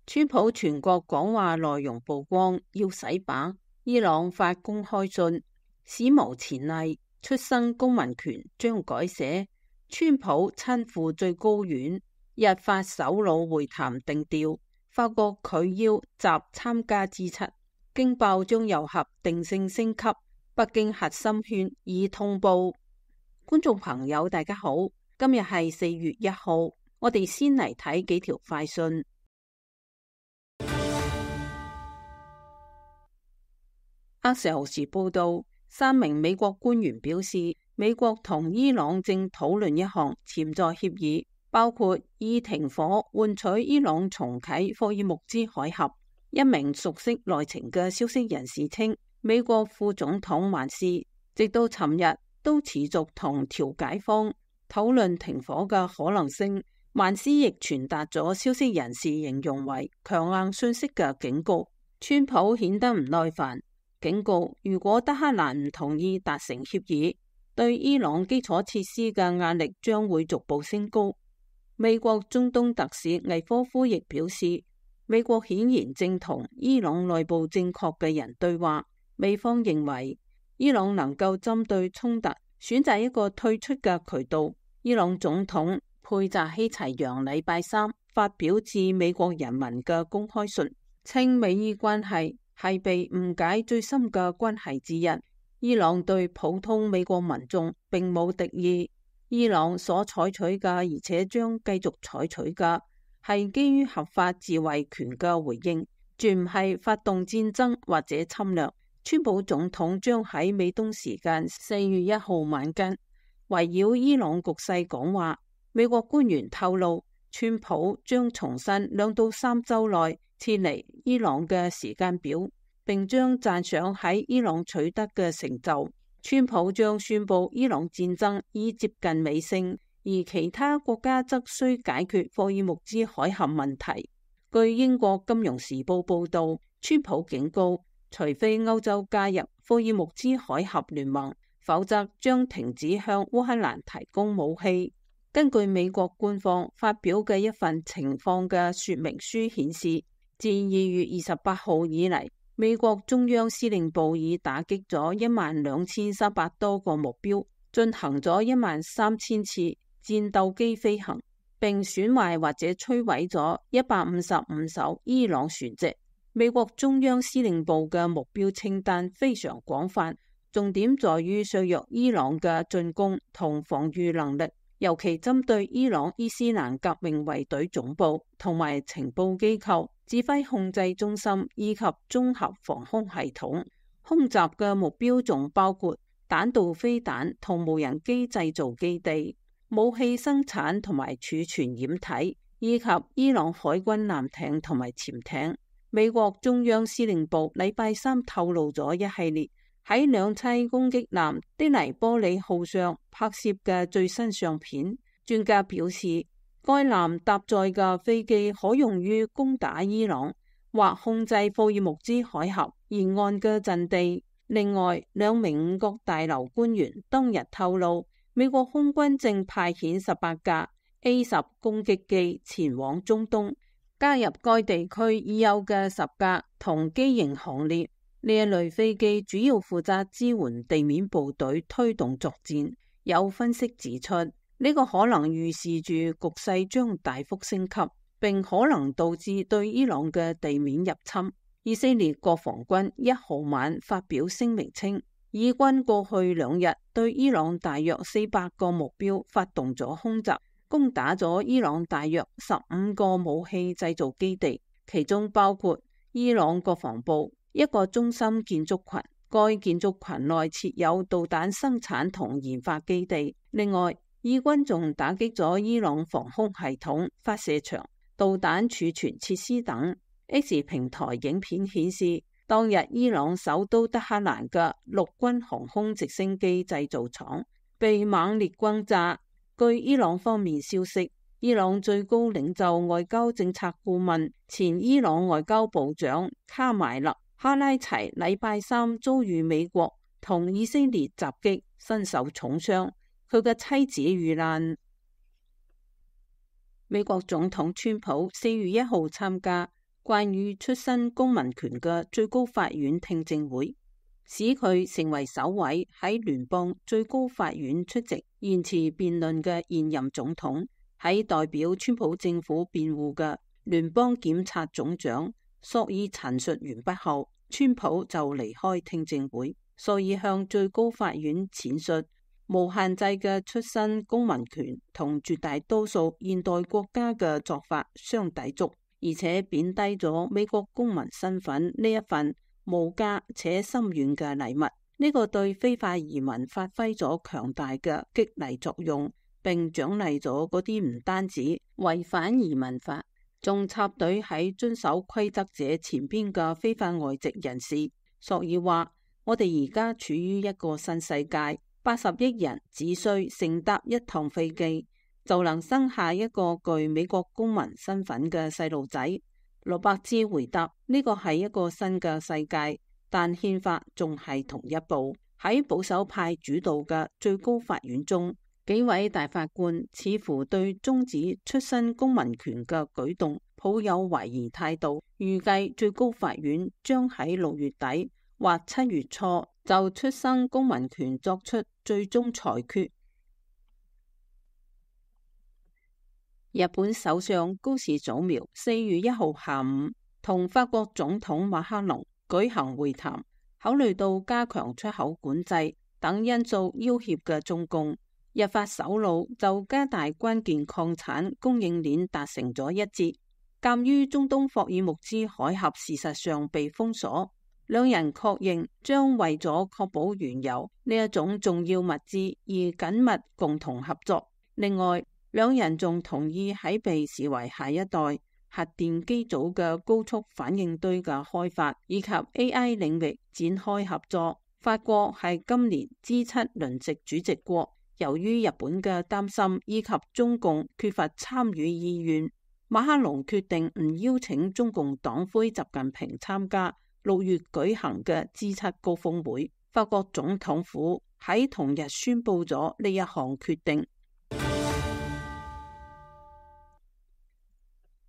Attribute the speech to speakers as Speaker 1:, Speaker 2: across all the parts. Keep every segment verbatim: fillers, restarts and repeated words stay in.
Speaker 1: 川普全國講話內容曝光，要洗版。伊朗發公開信，史無前例，出生公民權將改寫。川普親赴最高院，日法首腦會談定調，法國拒邀習參加 G 七。驚爆將油核定性升級，北京核心圈已通報。觀眾朋友大家好，今日係四月一號，我哋先嚟睇幾條快訊。阿社時報道，三名美國官員表示，美國同伊朗正討論一項潛在協議，包括以停火換取伊朗重啟霍爾木茲海峽。一名熟悉內情嘅消息人士稱，美國副總統萬斯直到尋日都持續同調解方討論停火嘅可能性。萬斯亦傳達咗消息人士形容為強硬訊息嘅警告。川普顯得唔耐煩，警告如果德黑蘭唔同意達成協議，對伊朗基礎設施嘅壓力將會逐步升高。美國中東特使魏科夫亦表示，美國顯然正同伊朗內部正確嘅人對話。美方認為伊朗能夠針對衝突選擇一個退出嘅渠道。伊朗總統佩扎希齊揚禮拜三發表致美國人民嘅公開信，稱美伊關係係被誤解最深嘅關係之一。伊朗對普通美國民眾並冇敵意。伊朗所採取嘅，而且將繼續採取嘅，係基於合法自衛權嘅回應，絕唔係發動戰爭或者侵略。川普總統將喺美東時間四月一號晚間圍繞伊朗局勢講話。美國官員透露，川普將重申兩到三週內撤離伊朗嘅時間表，並將讚賞喺伊朗取得嘅成就。川普將宣布伊朗戰爭已接近尾聲，而其他國家則需解決霍爾木茲海峽問題。據英國金融時報報道，川普警告，除非歐洲加入霍爾木茲海峽聯盟，否則將停止向烏克蘭提供武器。根據美國官方發表嘅一份情況嘅說明書顯示，自二月二十八號以嚟，美國中央司令部已打擊咗一萬兩千三百多個目標，進行咗一萬三千次戰鬥機飛行，並損壞或者摧毀咗一百五十五艘伊朗船隻。美國中央司令部嘅目標清單非常廣泛，重點在於削弱伊朗嘅進攻同防禦能力，尤其針對伊朗伊斯蘭革命衛隊總部同埋情報機構、指揮控制中心以及綜合防空系統。空襲嘅目標仲包括彈道飛彈同無人機製造基地、武器生產同埋儲存掩體，以及伊朗海軍艦艇同埋潛艇。美國中央司令部禮拜三透露咗一系列喺兩棲攻擊艦的黎波里號上拍攝嘅最新相片。專家表示，該艦搭載嘅飛機可用於攻打伊朗或控制霍爾木茲海峽沿岸嘅陣地。另外，兩名五角大樓官員當日透露，美國空軍正派遣十八架 A 十攻擊機前往中東，加入該地區已有嘅十架同機型行列。呢一類飛機主要負責支援地面部隊推動作戰。有分析指出，呢、這個可能預示住局勢將大幅升級，並可能導致對伊朗嘅地面入侵。以色列國防軍一號晚發表聲明稱，以軍過去兩日對伊朗大約四百個目標發動咗空襲，攻打咗伊朗大約十五個武器製造基地，其中包括伊朗國防部一個中心建築群，該建築群內設有導彈生產同研發基地。另外，以軍仲打擊咗伊朗防空系統、發射場、導彈儲存設施等。X 平台影片顯示，當日伊朗首都德黑蘭嘅陸軍航空直升機製造廠被猛烈轟炸。據伊朗方面消息，伊朗最高領袖外交政策顧問、前伊朗外交部長卡邁勒哈拉齊禮拜三遭遇美國同以色列襲擊，身受重傷，佢嘅妻子遇難。美國總統川普四月一號參加關於出身公民權嘅最高法院聽證會，使佢成為首位喺聯邦最高法院出席言詞辯論嘅現任總統。喺代表川普政府辯護嘅聯邦檢察總長索爾陳述完畢後，川普就離開聽證會。所以向最高法院闡述無限制嘅出身公民權同絕大多數現代國家嘅做法相抵觸，而且貶低咗美國公民身份呢一份無價且深遠嘅禮物。呢、這個對非法移民發揮咗強大嘅激勵作用，並獎勵咗嗰啲唔單止違反移民法，仲插隊喺遵守規則者前邊嘅非法外籍人士。索爾話：我哋而家處於一個新世界，八十億人只需乘搭一趟飛機，就能生下一個具美國公民身份嘅細路仔。羅伯茲回答：呢個係一個新嘅世界，但憲法仲係同一部。喺保守派主導嘅最高法院中，幾位大法官似乎對終止出身公民權嘅舉動抱有懷疑態度，預計最高法院將喺六月底或七月初就出生公民權作出最終裁決。日本首相高市早苗四月一號下午同法國總統馬克龍舉行會談，考慮到加強出口管制等因素要挾嘅中共，日法首腦就加大關鍵礦產供應鏈達成咗一致。鑒於中東霍爾木茲海峽事實上被封鎖，兩人確認將為咗確保原油呢一種重要物資而緊密共同合作。另外，兩人仲同意喺被視為下一代核電機組嘅高速反應堆嘅開發以及 A I 領域展開合作。法國係今年 G 七輪值主席國，由於日本嘅擔心以及中共缺乏參與意願，馬克龍決定唔邀請中共黨魁習近平參加六月舉行嘅 G 七高峰會。法國總統府喺同日宣布咗呢一項決定。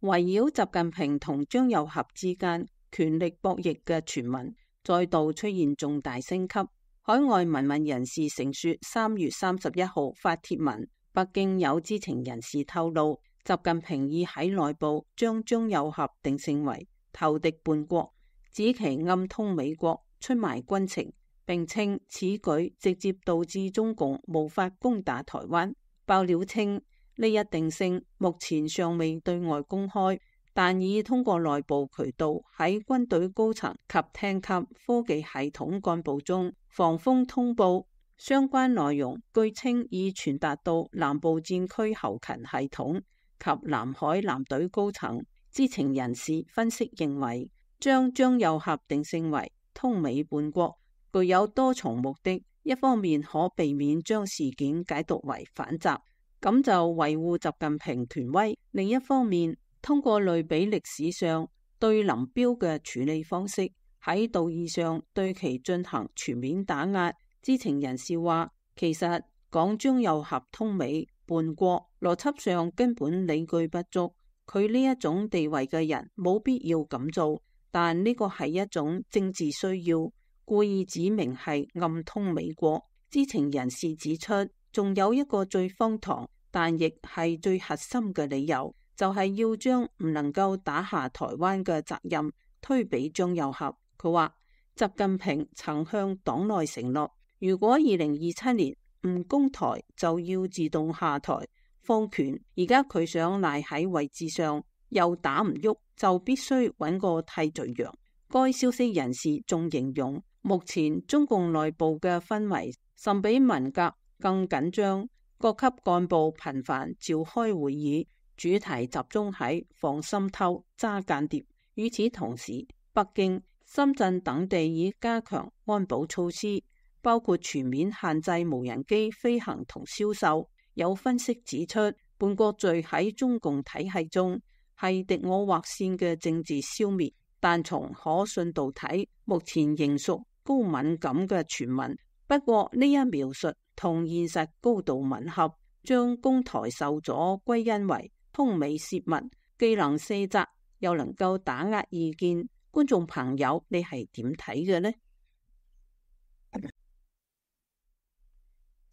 Speaker 1: 圍繞習近平同張又俠之間權力博弈嘅傳聞再度出現重大升級。海外民運人士承說，三月三十一號發帖文，北京有知情人士透露，習近平已喺內部將張又俠定性為投敵叛國，指其暗通美國，出賣軍情，並稱此舉直接導致中共無法攻打台灣。爆料稱，呢一定性目前尚未對外公開，但已通過內部渠道喺軍隊高層及廳級科技系統幹部中防風通報。相關內容據稱已傳達到南部戰區後勤系統及南海艦隊高層。知情人士分析認為，將張又俠定性為通美叛國具有多重目的，一方面可避免將事件解讀為反習，咁就維護習近平權威；另一方面，通過類比歷史上對林彪嘅處理方式，喺道義上對其進行全面打壓。知情人士話，其實講張又俠通美叛國，邏輯上根本理據不足。佢呢一種地位嘅人冇必要咁做，但呢個係一種政治需要，故意指明係暗通美國。知情人士指出，仲有一個最荒唐，但亦係最核心嘅理由，就係要將唔能夠打下台灣嘅責任推俾張又俠。佢話習近平曾向黨內承諾，如果二零二七年唔攻台，就要自動下台放權。而家佢想賴喺位置上，又打唔喐，就必須揾個替罪羊。該消息人士仲形容，目前中共內部嘅氛圍甚比文革更緊張，各級幹部頻繁召開會議，主題集中喺防滲透、揸間諜。與此同時，北京、深圳等地已加強安保措施，包括全面限制無人機飛行同銷售。有分析指出，叛國罪喺中共體系中係敵我劃線嘅政治消滅，但從可信度睇，目前仍屬高敏感嘅傳聞。不過呢一描述同現實高度吻合，將攻台受阻歸因為通美泄密，既能卸責，又能夠打壓意見。觀眾朋友，你係點睇嘅呢？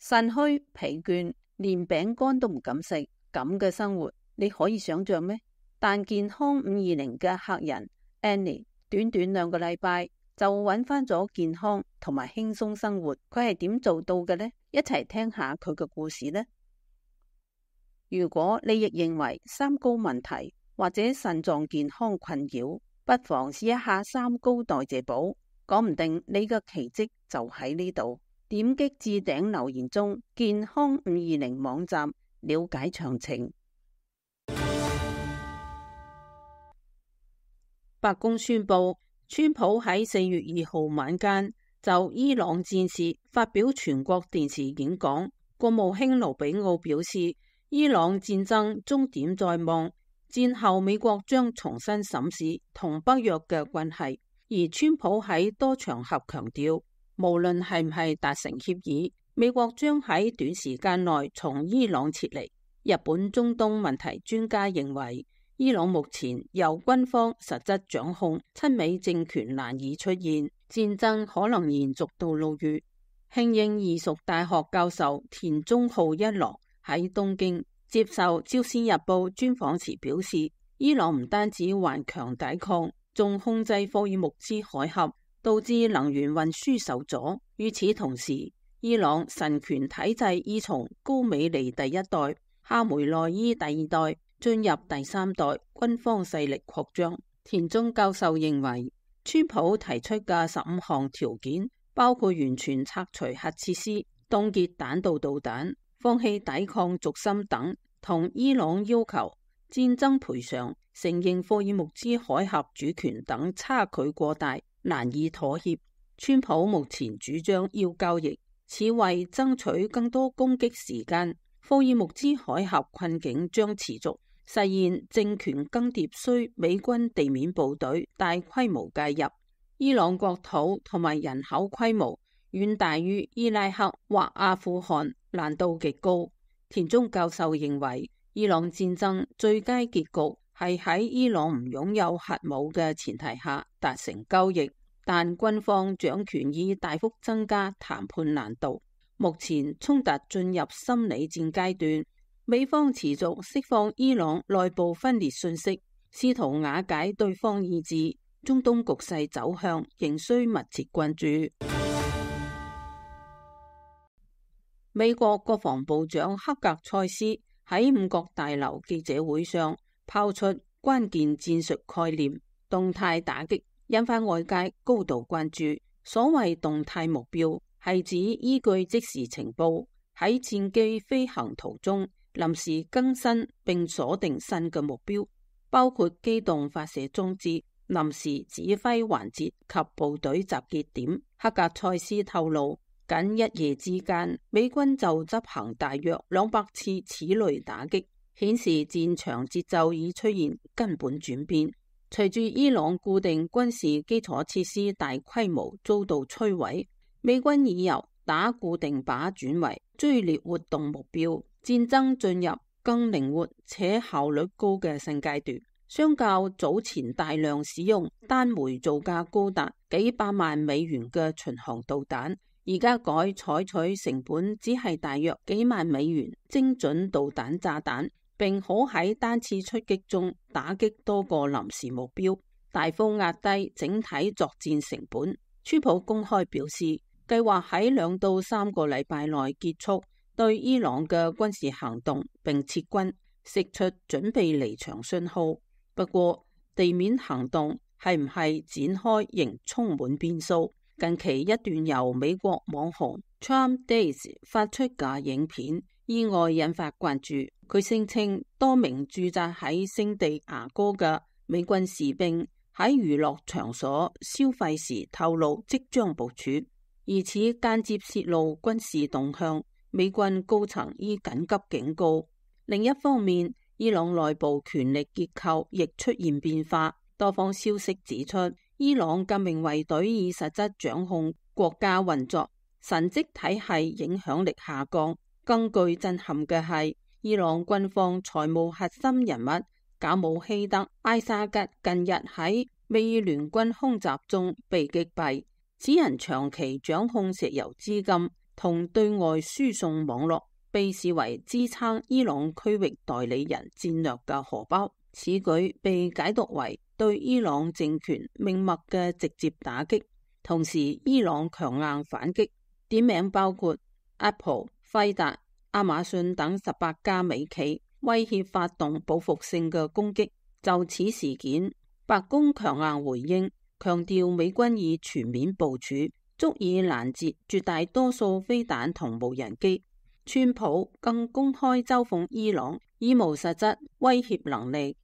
Speaker 1: 腎虛疲倦，連餅乾都唔敢食，咁嘅生活你可以想象咩？但健康五二零嘅客人 Annie， 短短兩個禮拜就揾翻咗健康同埋輕鬆生活，佢係點做到嘅呢？一齊聽下佢嘅故事呢。如果你亦認為三高問題或者腎臟健康困擾，不妨試一下三高代謝寶，講唔定你嘅奇蹟就喺呢度。點擊置頂留言中健康五二零網站了解詳情。白宮宣布，川普喺四月二號晚間就伊朗戰事發表全國電視演講。國務卿盧比奧表示，伊朗戰爭終點在望，戰後美國將重新審視同北約嘅關係。而川普喺多場合強調，無論係唔係達成協議，美國將喺短時間內從伊朗撤離。日本中東問題專家認為，伊朗目前由軍方實質掌控，親美政權難以出現，戰爭可能延續到六月。慶應義塾大學教授田中浩一郎喺東京接受朝鮮日報專訪時表示，伊朗唔單止頑強抵抗，仲控制霍爾木茲海峽，導致能源運輸受阻。與此同時，伊朗神權體制已從高美尼第一代、哈梅內伊第二代進入第三代，軍方勢力擴張。田中教授認為，川普提出嘅十五項條件，包括完全拆除核設施、凍結彈道導彈、放棄抵抗軸心等，同伊朗要求戰爭賠償、承認霍爾木茲海峽主權等差距過大，難以妥協。川普目前主張要交易，此為爭取更多攻擊時間。霍爾木茲海峽困境將持續，實現政權更迭需美軍地面部隊大規模介入。伊朗國土同埋人口規模遠大於伊拉克或阿富汗，難度極高。田中教授認為，伊朗戰爭最佳結局係喺伊朗唔擁有核武嘅前提下達成交易，但軍方掌權已大幅增加談判難度。目前衝突進入心理戰階段，美方持續釋放伊朗內部分裂信息，試圖瓦解對方意志。中東局勢走向仍需密切關注。美國國防部長克格塞斯喺五角大樓記者會上拋出關鍵戰術概念，動態打擊，引發外界高度關注。所謂動態目標，係指依據即時情報，喺戰機飛行途中臨時更新並鎖定新嘅目標，包括機動發射裝置、臨時指揮環節及部隊集結點。克格塞斯透露，僅一夜之間，美軍就執行大約兩百次此類打擊，顯示戰場節奏已出現根本轉變。隨住伊朗固定軍事基礎設施大規模遭到摧毀，美軍已由打固定靶轉為追獵活動目標，戰爭進入更靈活且效率高嘅新階段。相較早前大量使用單枚造價高達幾百萬美元嘅巡航導彈，而家改採取成本只係大約幾萬美元精準導彈炸彈，並可喺單次出擊中打擊多個臨時目標，大幅壓低整體作戰成本。川普公開表示，計劃喺兩到三個禮拜內結束對伊朗嘅軍事行動並撤軍，釋出準備離場信號。不過，地面行動係唔係展開仍充滿變數。近期一段由美國網紅 Trump Days 發出嘅影片意外引發關注。佢聲稱多名駐紮喺聖地牙哥嘅美軍士兵喺娛樂場所消費時透露即將部署，而此間接泄露軍事動向。美軍高層已緊急警告。另一方面，伊朗內部權力結構亦出現變化。多方消息指出，伊朗革命衛隊以實質掌控國家運作，神職體系影響力下降。更具震撼嘅係，伊朗軍方財務核心人物賈姆希德·埃沙吉近日喺美聯軍空襲中被擊斃，此人長期掌控石油資金同對外輸送網絡，被視為支撐伊朗區域代理人戰略嘅荷包。此舉被解讀為對伊朗政權命脈嘅直接打擊，同時伊朗強硬反擊，點名包括 Apple、輝達、亞馬遜等十八家美企，威脅發動報復性嘅攻擊。就此事件，白宮強硬回應，強調美軍已全面部署，足以攔截絕大多數飛彈同無人機。川普更公開嘲諷伊朗已無實質威脅能力。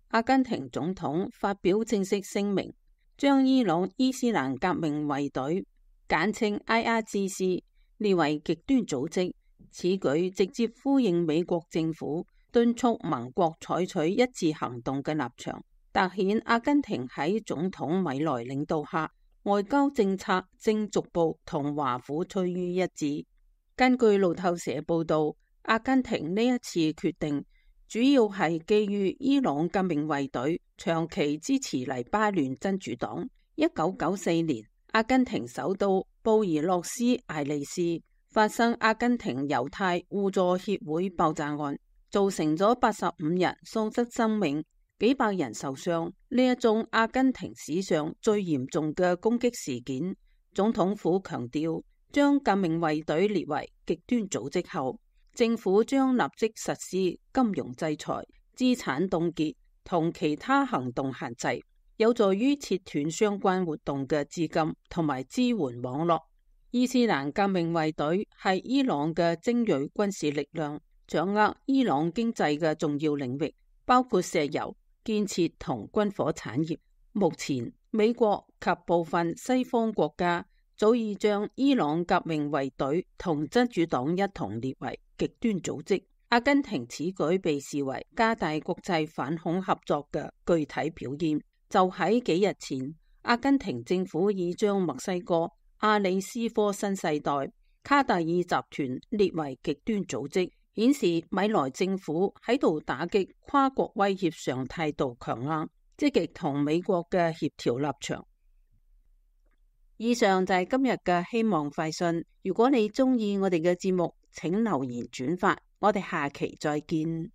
Speaker 1: 阿根廷總統發表正式聲明，將伊朗伊斯蘭革命衛隊簡稱 I R G C 列為極端組織。此舉直接呼應美國政府敦促盟國採取一致行動嘅立場，凸顯阿根廷喺總統米萊領導下，外交政策正逐步同華府趨於一致。根據路透社報道，阿根廷呢一次決定主要係基於伊朗革命衛隊長期支持黎巴嫩真主黨。一九九四年，阿根廷首都布宜諾斯艾利斯發生阿根廷猶太互助協會爆炸案，造成咗八十五人喪失生命，幾百人受傷。呢一宗阿根廷史上最嚴重嘅攻擊事件，總統府強調，將革命衛隊列為極端組織後，政府將立即實施金融制裁、資產凍結同其他行動限制，有助於切斷相關活動嘅資金同埋支援網絡。伊斯蘭革命衛隊係伊朗嘅精銳軍事力量，掌握伊朗經濟嘅重要領域，包括石油、建設同軍火產業。目前，美國及部分西方國家早已將伊朗革命衛隊同真主黨一同列為極端組織。阿根廷此舉被視為加大國際反恐合作嘅具體表現。就喺幾日前，阿根廷政府已將墨西哥阿里斯科新世代卡達爾集團列為極端組織，顯示米萊政府喺度打擊跨國威脅上態度強硬，積極同美國嘅協調立場。以上就係今日嘅希望快訊。如果你中意我哋嘅節目，請留言轉發，我哋下期再見。